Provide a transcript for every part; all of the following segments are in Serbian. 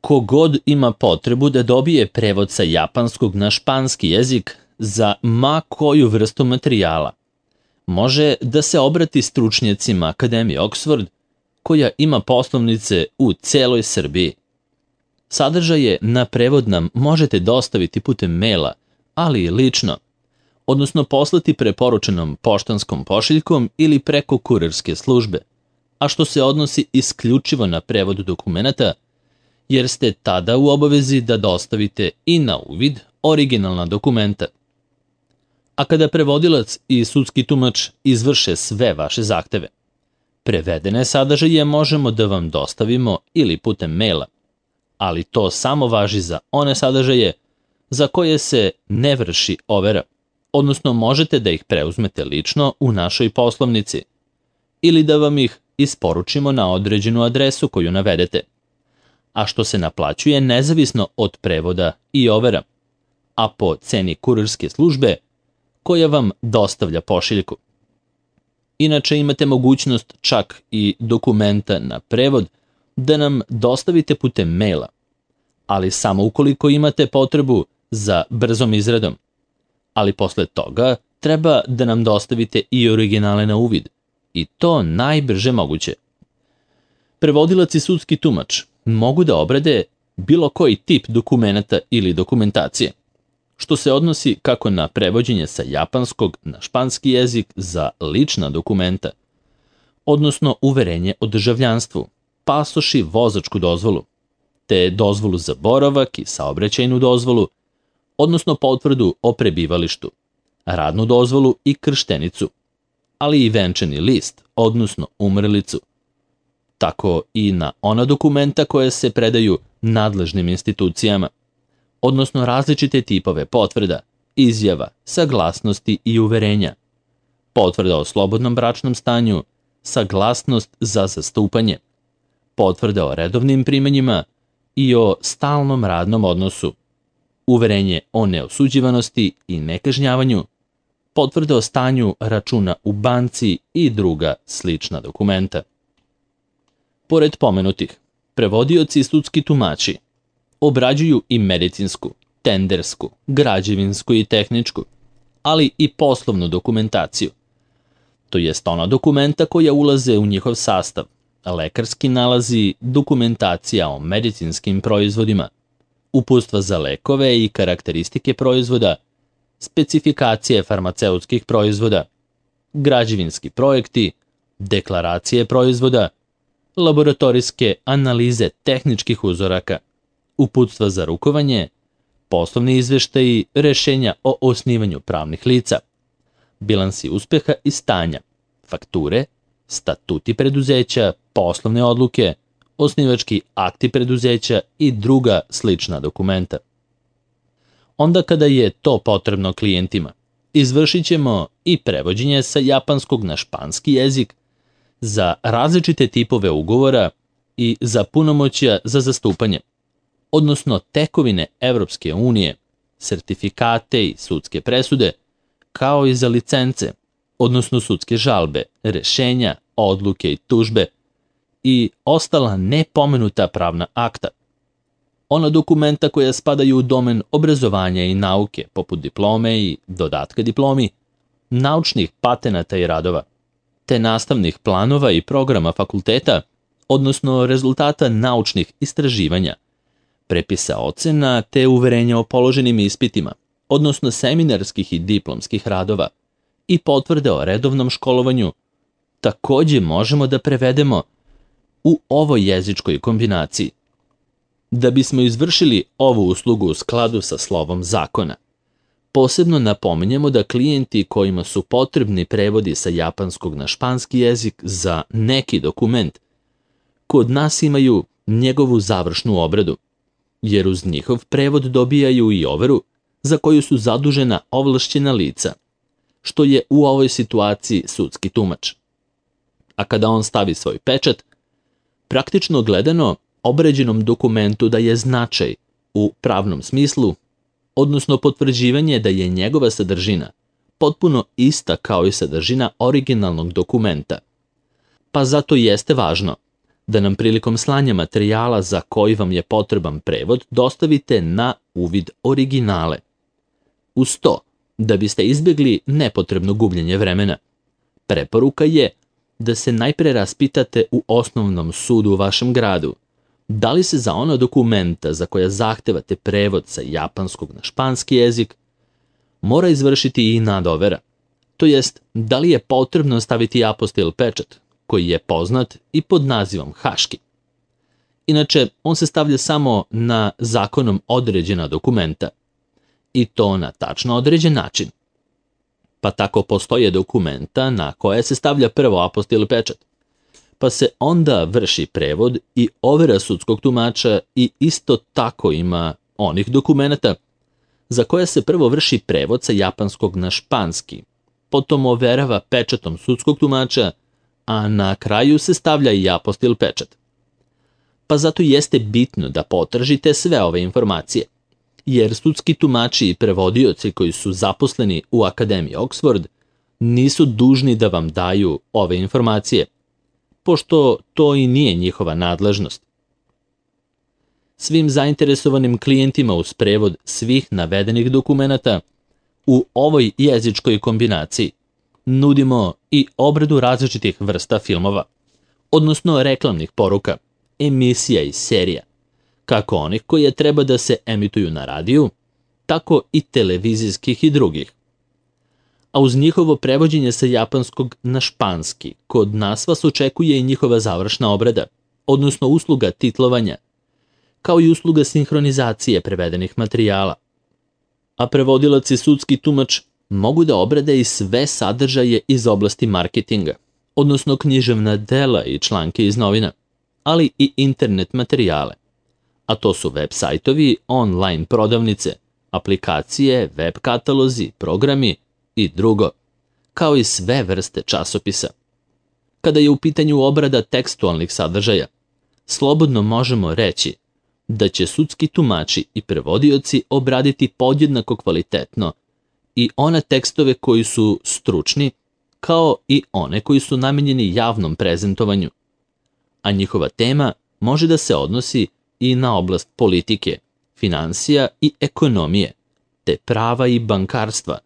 Kogod ima potrebu da dobije prevod sa japanskog na španski jezik za ma koju vrstu materijala, može da se obrati stručnjacima Akademije Oxford, koja ima poslovnice u celoj Srbiji. Sadržaje na prevod nam možete dostaviti putem maila, ali i lično, odnosno poslati preporučenom poštanskom pošiljkom ili preko kurirske službe, a što se odnosi isključivo na prevod dokumenata, jer ste tada u obavezi da dostavite i na uvid originalna dokumenta. A kada prevodilac i sudski tumač izvrše sve vaše zahteve, prevedene sadržaje možemo da vam dostavimo ili putem maila, ali to samo važi za one sadržaje za koje se ne vrši overa, odnosno možete da ih preuzmete lično u našoj poslovnici ili da vam ih isporučimo na određenu adresu koju navedete, a što se naplaćuje nezavisno od prevoda i overa, a po ceni kurirske službe koja vam dostavlja pošiljku. Inače imate mogućnost čak i dokumenta na prevod da nam dostavite putem maila, ali samo ukoliko imate potrebu za brzom izradom, ali posle toga treba da nam dostavite i originale na uvid, i to najbrže moguće. Prevodilac i sudski tumač mogu da obrade bilo koji tip dokumenata ili dokumentacije, što se odnosi kako na prevođenje sa japanskog na španski jezik za lična dokumenta, odnosno uverenje o državljanstvu, pasoš i vozačku dozvolu, te dozvolu za boravak i saobraćajnu dozvolu, odnosno potvrdu o prebivalištu, radnu dozvolu i krštenicu, ali i venčani list, odnosno umrlicu, tako i na ona dokumenta koje se predaju nadležnim institucijama, odnosno različite tipove potvrda, izjava, saglasnosti i uverenja, potvrda o slobodnom bračnom stanju, saglasnost za zastupanje, potvrda o redovnim primanjima i o stalnom radnom odnosu, uverenje o neosuđivanosti i nekažnjavanju, potvrda o stanju računa u banci i druga slična dokumenta. Pored pomenutih, prevodioci i sudski tumači obrađuju i medicinsku, tendersku, građevinsku i tehničku, ali i poslovnu dokumentaciju, to jest ona dokumenta koja ulaze u njihov sastav, lekarski nalazi, dokumentacija o medicinskim proizvodima, uputstva za lekove i karakteristike proizvoda, specifikacije farmaceutskih proizvoda, građevinski projekti, deklaracije proizvoda, laboratorijske analize tehničkih uzoraka, uputstva za rukovanje, poslovni izveštaji, rešenja o osnivanju pravnih lica, bilansi uspeha i stanja, fakture, statuti preduzeća, poslovne odluke, osnivački akti preduzeća i druga slična dokumenta. Onda kada je to potrebno klijentima, izvršit ćemo i prevođenje sa japanskog na španski jezik za različite tipove ugovora i za punomoćja za zastupanje, odnosno tekovine Evropske unije, sertifikate i sudske presude, kao i za licence, odnosno sudske žalbe, rešenja, odluke i tužbe i ostala nepomenuta pravna akta. Ona dokumenta koja spadaju u domen obrazovanja i nauke, poput diplome i dodatka diplomi, naučnih patenata i radova, te nastavnih planova i programa fakulteta, odnosno rezultata naučnih istraživanja, prepisa ocena te uverenja o položenim ispitima, odnosno seminarskih i diplomskih radova i potvrde o redovnom školovanju, takođe možemo da prevedemo u ovoj jezičkoj kombinaciji. Da bismo izvršili ovu uslugu u skladu sa slovom zakona, posebno napominjemo da klijenti kojima su potrebni prevodi sa japanskog na španski jezik za neki dokument, kod nas imaju njegovu završnu obradu, jer uz njihov prevod dobijaju i overu za koju su zadužena ovlašćena lica, što je u ovoj situaciji sudski tumač. A kada on stavi svoj pečat, praktično gledano, obrađenom dokumentu daje značaj u pravnom smislu, odnosno potvrđivanje da je njegova sadržina potpuno ista kao i sadržina originalnog dokumenta. Pa zato jeste važno da nam prilikom slanja materijala za koji vam je potreban prevod dostavite na uvid originale. Uz to, da biste izbjegli nepotrebno gubljenje vremena, preporuka je da se najpre raspitate u osnovnom sudu u vašem gradu da li se za ona dokumenta za koja zahtevate prevod sa japanskog na španski jezik mora izvršiti i nadovera, to jest da li je potrebno staviti apostil pečat koji je poznat i pod nazivom haški. Inače, on se stavlja samo na zakonom određena dokumenta i to na tačno određen način. Pa tako postoje dokumenta na koje se stavlja prvo apostil pečat, pa se onda vrši prevod i overa sudskog tumača i isto tako ima onih dokumenta za koje se prvo vrši prevod sa japanskog na španski, potom overava pečatom sudskog tumača, a na kraju se stavlja i apostil pečat. Pa zato jeste bitno da potražite sve ove informacije, jer sudski tumači i prevodioci koji su zaposleni u Akademiji Oxford nisu dužni da vam daju ove informacije, pošto to i nije njihova nadležnost. Svim zainteresovanim klijentima uz prevod svih navedenih dokumenata u ovoj jezičkoj kombinaciji nudimo i obradu različitih vrsta filmova, odnosno reklamnih poruka, emisija i serija, kako onih koje treba da se emituju na radiju, tako i televizijskih i drugih. A uz njihovo prevođenje sa japanskog na španski, kod nas vas očekuje i njihova završna obrada, odnosno usluga titlovanja, kao i usluga sinhronizacije prevedenih materijala. A prevodilac i sudski tumač mogu da obrade i sve sadržaje iz oblasti marketinga, odnosno književna dela i članke iz novina, ali i internet materijale. A to su web sajtovi, online prodavnice, aplikacije, web katalozi, programi i drugo, kao i sve vrste časopisa. Kada je u pitanju obrada tekstualnih sadržaja, slobodno možemo reći da će sudski tumači i prevodioci obraditi podjednako kvalitetno i one tekstove koji su stručni, kao i one koji su namenjeni javnom prezentovanju. A njihova tema može da se odnosi i na oblast politike, finansija i ekonomije, te prava i bankarstva,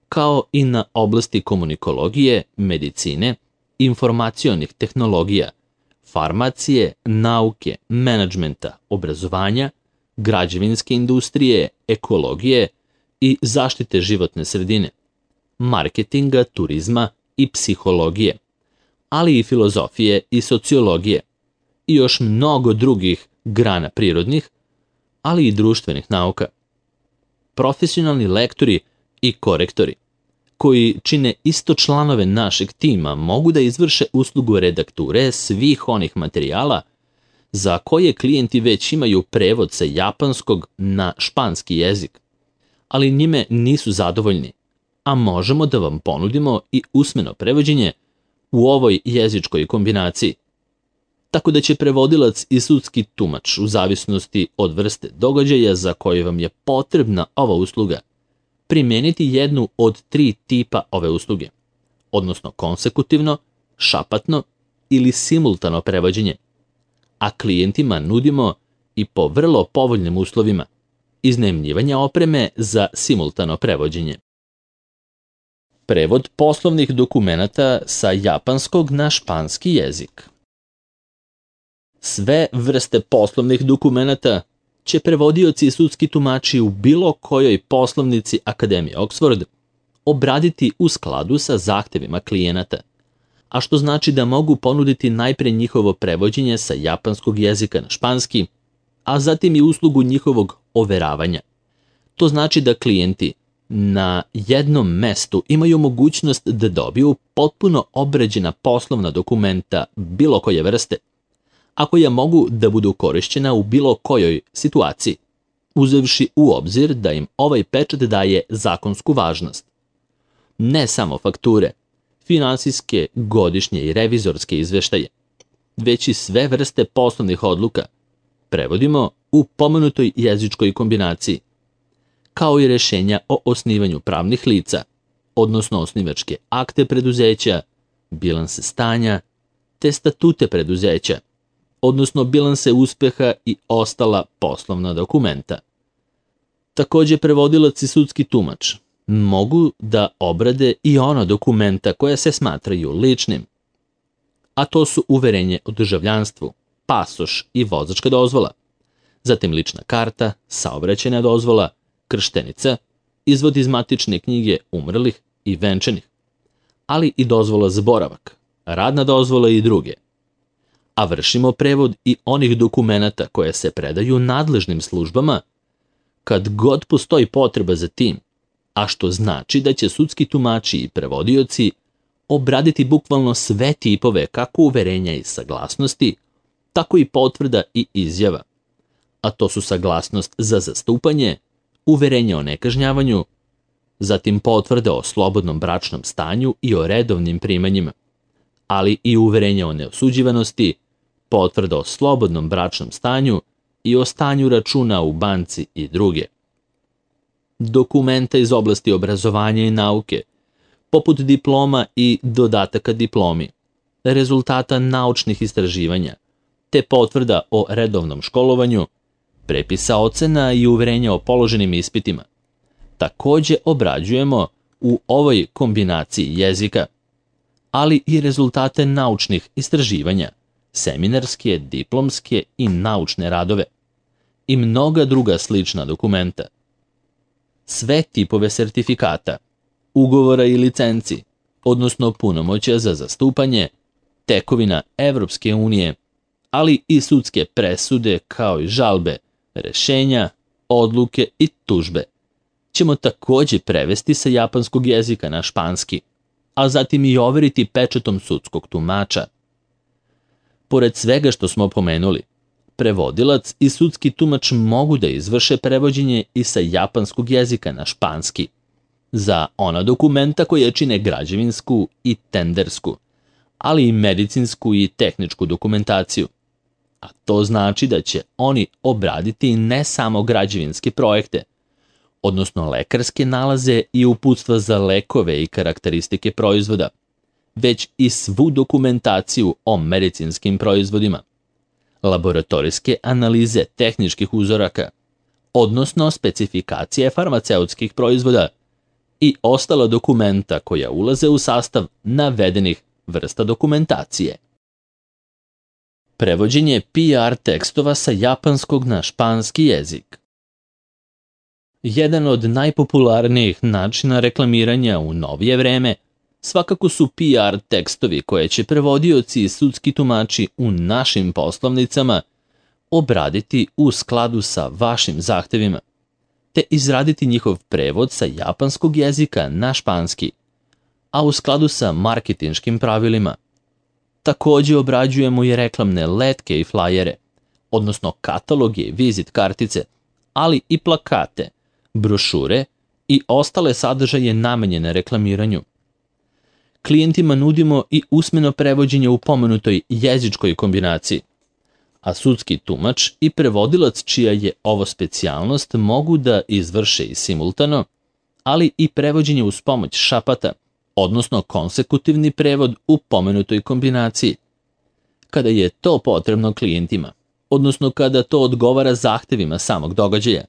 kao i na oblasti komunikologije, medicine, informacionih tehnologija, farmacije, nauke, menadžmenta, obrazovanja, građevinske industrije, ekologije i zaštite životne sredine, marketinga, turizma i psihologije, ali i filozofije i sociologije i još mnogo drugih grana prirodnih, ali i društvenih nauka. Profesionalni lektori i korektori, koji čine isto članove našeg tima, mogu da izvrše uslugu redakture svih onih materijala za koje klijenti već imaju prevod sa japanskog na španski jezik, ali njime nisu zadovoljni, a možemo da vam ponudimo i usmeno prevođenje u ovoj jezičkoj kombinaciji. Tako da će prevodilac i sudski tumač, u zavisnosti od vrste događaja za koje vam je potrebna ova usluga, primijeniti jednu od 3 tipa ove usluge, odnosno konsekutivno, šapatno ili simultano prevođenje, a klijentima nudimo i po vrlo povoljnim uslovima iznajmljivanja opreme za simultano prevođenje. Prevod poslovnih dokumenata sa japanskog na španski jezik. Sve vrste poslovnih dokumenata će prevodioci i sudski tumači u bilo kojoj poslovnici Akademije Oxford obraditi u skladu sa zahtevima klijenata, a što znači da mogu ponuditi najpre njihovo prevođenje sa japanskog jezika na španski, a zatim i uslugu njihovog overavanja. To znači da klijenti na jednom mestu imaju mogućnost da dobiju potpuno obrađena poslovna dokumenta bilo koje vrste, a koja mogu da budu korišćena u bilo kojoj situaciji, uzevši u obzir da im ovaj pečat daje zakonsku važnost. Ne samo fakture, finansijske, godišnje i revizorske izveštaje, već i sve vrste poslovnih odluka prevodimo u pomenutoj jezičkoj kombinaciji, kao i rešenja o osnivanju pravnih lica, odnosno osnivačke akte preduzeća, bilanse stanja, te statute preduzeća, odnosno bilanse uspeha i ostala poslovna dokumenta. Takođe, prevodilac i sudski tumač mogu da obrade i ona dokumenta koja se smatraju ličnim, a to su uverenje o državljanstvu, pasoš i vozačka dozvola, zatim lična karta, saobraćajna dozvola, krštenica, izvod iz matične knjige umrlih i venčanih, ali i dozvola za boravak, radna dozvola i druge. A vršimo prevod i onih dokumenata koje se predaju nadležnim službama kad god postoji potreba za tim, a što znači da će sudski tumači i prevodioci obraditi bukvalno sve tipove kako uverenja i saglasnosti, tako i potvrda i izjava, a to su saglasnost za zastupanje, uverenje o nekažnjavanju, zatim potvrde o slobodnom bračnom stanju i o redovnim primanjima, ali i uverenje o neosuđivanosti, potvrda o slobodnom bračnom stanju i o stanju računa u banci i druge. Dokumenta iz oblasti obrazovanja i nauke, poput diploma i dodataka diplomi, rezultata naučnih istraživanja, te potvrda o redovnom školovanju, prepisa ocena i uverenja o položenim ispitima. Takođe obrađujemo u ovoj kombinaciji jezika, ali i rezultate naučnih istraživanja, seminarske, diplomske i naučne radove i mnoga druga slična dokumenta. Sve tipove sertifikata, ugovora i licenci, odnosno punomoćja za zastupanje, tekovina Evropske unije, ali i sudske presude kao i žalbe, rešenja, odluke i tužbe ćemo takođe prevesti sa japanskog jezika na španski, a zatim i overiti pečatom sudskog tumača. Pored svega što smo pomenuli, prevodilac i sudski tumač mogu da izvrše prevođenje i sa japanskog jezika na španski, za ona dokumenta koje čine građevinsku i tendersku, ali i medicinsku i tehničku dokumentaciju. A to znači da će oni obraditi ne samo građevinske projekte, odnosno lekarske nalaze i uputstva za lekove i karakteristike proizvoda, već i svu dokumentaciju o medicinskim proizvodima, laboratorijske analize tehničkih uzoraka, odnosno specifikacije farmaceutskih proizvoda i ostala dokumenta koja ulaze u sastav navedenih vrsta dokumentacije. Prevođenje PR tekstova sa japanskog na španski jezik. Jedan od najpopularnijih načina reklamiranja u novije vreme svakako su PR tekstovi koje će prevodioci i sudski tumači u našim poslovnicama obraditi u skladu sa vašim zahtevima, te izraditi njihov prevod sa japanskog jezika na španski, a u skladu sa marketinškim pravilima. Takođe obrađujemo i reklamne letke i flajere, odnosno kataloge i vizit kartice, ali i plakate, brošure i ostale sadržaje namenjene reklamiranju. Klijentima nudimo i usmeno prevođenje u pomenutoj jezičkoj kombinaciji, a sudski tumač i prevodilac čija je ovo specijalnost mogu da izvrše i simultano, ali i prevođenje uz pomoć šapata, odnosno konsekutivni prevod u pomenutoj kombinaciji. Kada je to potrebno klijentima, odnosno kada to odgovara zahtevima samog događaja,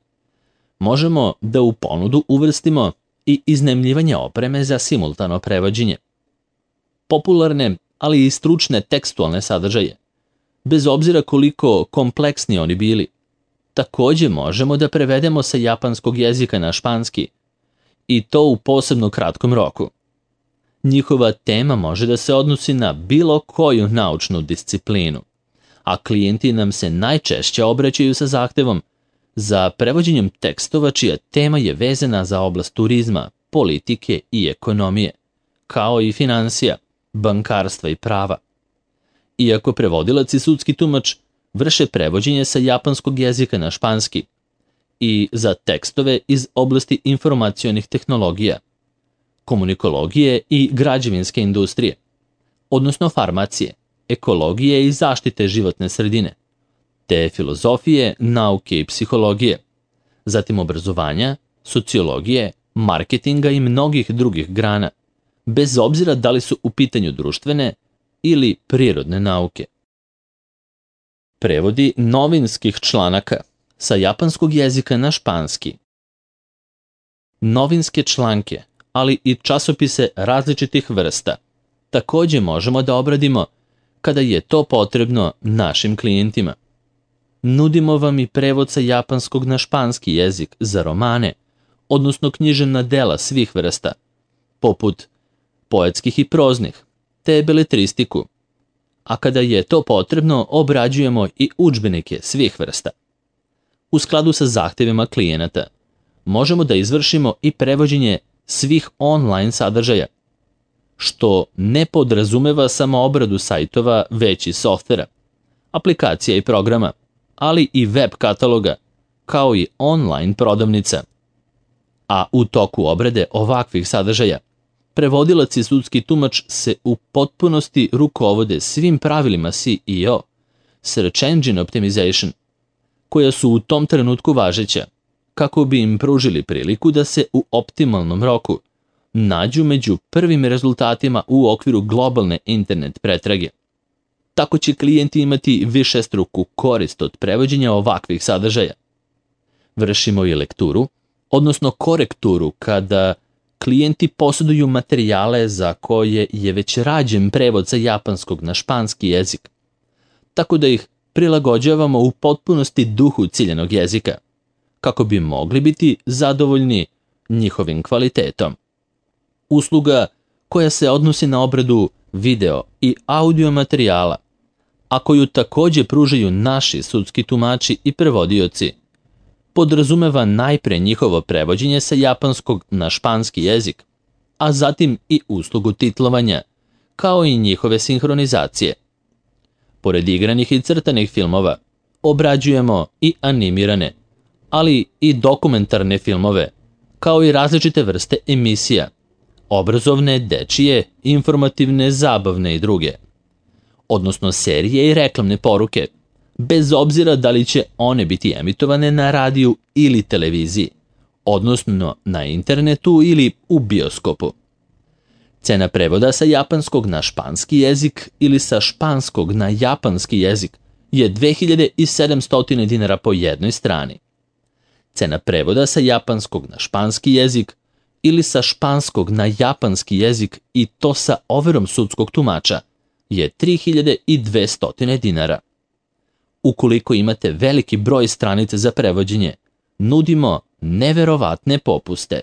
možemo da u ponudu uvrstimo i iznajmljivanje opreme za simultano prevođenje. Popularne, ali i stručne tekstualne sadržaje, bez obzira koliko kompleksni oni bili, takođe možemo da prevedemo sa japanskog jezika na španski, i to u posebno kratkom roku. Njihova tema može da se odnosi na bilo koju naučnu disciplinu, a klijenti nam se najčešće obraćaju sa zahtevom za prevođenjem tekstova čija tema je vezana za oblast turizma, politike i ekonomije, kao i finansija, bankarstva i prava. Iako prevodilac i sudski tumač vrše prevođenje sa japanskog jezika na španski i za tekstove iz oblasti informacionih tehnologija, komunikologije i građevinske industrije, odnosno farmacije, ekologije i zaštite životne sredine, te filozofije, nauke i psihologije, zatim obrazovanja, sociologije, marketinga i mnogih drugih grana, bez obzira da li su u pitanju društvene ili prirodne nauke. prevodi novinskih članaka sa japanskog jezika na španski. Novinske članke, ali i časopise različitih vrsta, takođe možemo da obradimo kada je to potrebno našim klijentima. Nudimo vam i prevod sa japanskog na španski jezik za romane, odnosno književna dela svih vrsta, poput poetskih i proznih, te beletristiku. A kada je to potrebno, obrađujemo i udžbenike svih vrsta. U skladu sa zahtevima klijenata, možemo da izvršimo i prevođenje svih online sadržaja, što ne podrazumeva samo obradu sajtova, već i softvera, aplikacija i programa, ali i web kataloga, kao i online prodavnica. A u toku obrade ovakvih sadržaja, prevodilac i sudski tumač se u potpunosti rukovode svim pravilima SEO, Search Engine Optimization, koja su u tom trenutku važeća, kako bi im pružili priliku da se u optimalnom roku nađu među prvim rezultatima u okviru globalne internet pretrage. Tako će klijenti imati višestruku korist od prevođenja ovakvih sadržaja. Vršimo i lekturu, odnosno korekturu kada klijenti posjeduju materijale za koje je već rađen prevod sa japanskog na španski jezik, tako da ih prilagođavamo u potpunosti duhu ciljanog jezika, kako bi mogli biti zadovoljni njihovim kvalitetom. Usluga koja se odnosi na obradu video i audio materijala, a koju takođe pružaju naši sudski tumači i prevodioci, podrazumeva najpre njihovo prevođenje sa japanskog na španski jezik, a zatim i uslugu titlovanja, kao i njihove sinhronizacije. Pored igranih i crtanih filmova, obrađujemo i animirane, ali i dokumentarne filmove, kao i različite vrste emisija, obrazovne, dečije, informativne, zabavne i druge, odnosno serije i reklamne poruke, bez obzira da li će one biti emitovane na radiju ili televiziji, odnosno na internetu ili u bioskopu. Cena prevoda sa japanskog na španski jezik ili sa španskog na japanski jezik je 2700 dinara po jednoj strani. Cena prevoda sa japanskog na španski jezik ili sa španskog na japanski jezik i to sa overom sudskog tumača je 3200 dinara. Ukoliko imate veliki broj stranica za prevođenje, nudimo neverovatne popuste.